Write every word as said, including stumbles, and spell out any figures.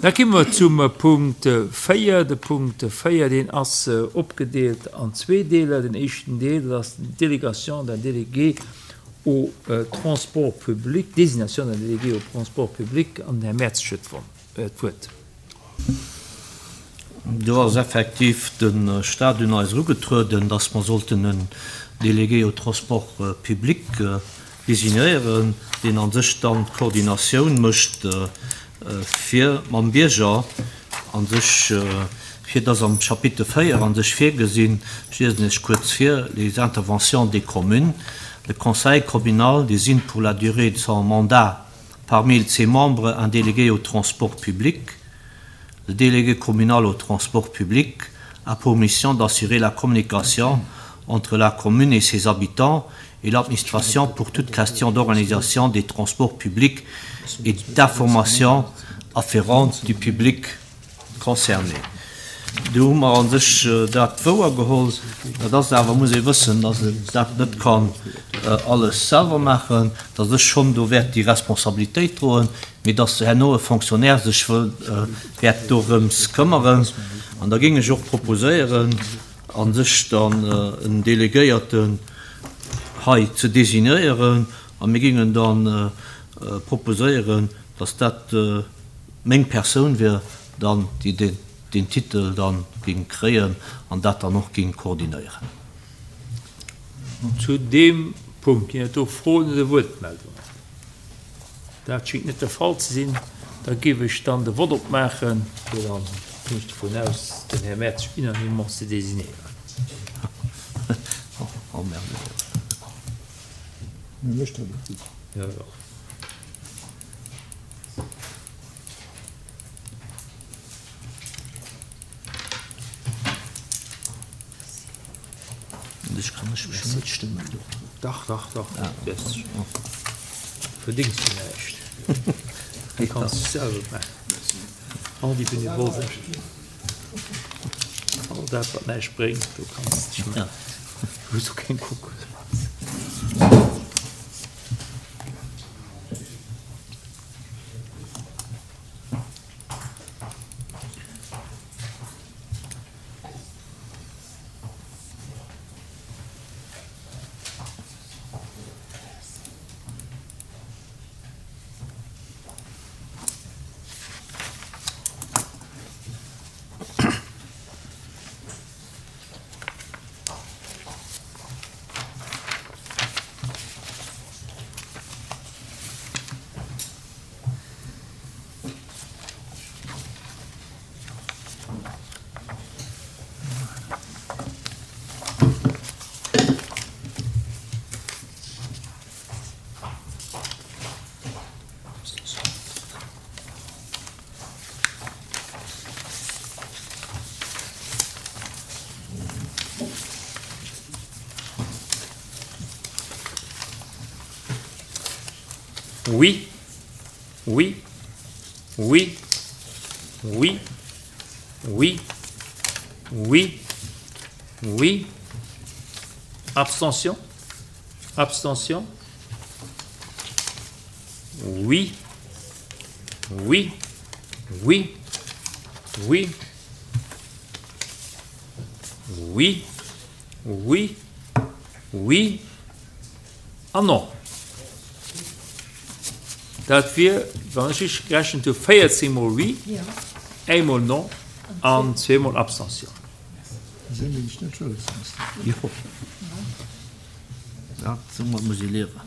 Da gi mer zum Punkt véier. De Punkt véier, deen ass opgedeelt an zwee Deeler. Den éischten Deel, dat ass d'Délégation d'un délégué au transport public, désignation d'un délégué au transport public. An den Här Mertz huet d'Wuert. Do ass effektiv de Stat un eis erugetrueden, dass mer sollten en Délégué au transport public designéieren, deen a sech dann d'Koordinatioun mécht fir mam Bierger a sech, fir dass am Chapitre véier a sech virgesinn, ech liesen Iech kuerz vir, les interventions des communes, le conseil communal désigne pour la durée de son mandat parmi ses membres un délégué au transport public. Le délégué communal au transport public a pour mission d'assurer la communication entre la commune et ses habitants et l'administration pour toute question d'organisation des transports publics et d'information afférente du public concerné. Do hu mer a sech dat wouergeholl. Dat ass awer, muss ee wëssen, dass een dat net kann alles selwer maachen, dass ech schonn do wäert déi Responsabilitéit droen, mee dass herno e Fonctionnaire sech wäert dorëms këmmeren. An da géing ech och proposéieren, a sech dann en Delegéierten hei ze designéieren, a mir géingen dann proposéieren, dass dat meng Persoun wier dann, déi deen Titel dann géing kréien an dat dann och géing koordinéieren. Zu deem Punkt ginn et do Froen oder Wuertmeldungen? Dat schéngt net de Fall ze sinn. Da géif ech dann de Vott opmaachen, fir dann, ginn ech dovun aus, den Här Mertz unanimement ze designéieren. Jo, jo. Ech kann ech mech net stëmmen. Dach, dach, dach, du verdéngs jo näischt. Du kanns dech selwer maachen. All déi Benevole, all dat, wat näischt bréngt, do kanns de dech maachen. Du hues och keng Konkurrenz. Oui, oui, oui, oui, oui, oui, oui. Abstention, abstention. Oui, oui, oui, oui, oui, oui, oui an non. Dat wier, wann ech richteg gerechent hu, véierzéng mol oui, eemol non an zweemol Abstention. Jo, dat, soumat muss ee liewen.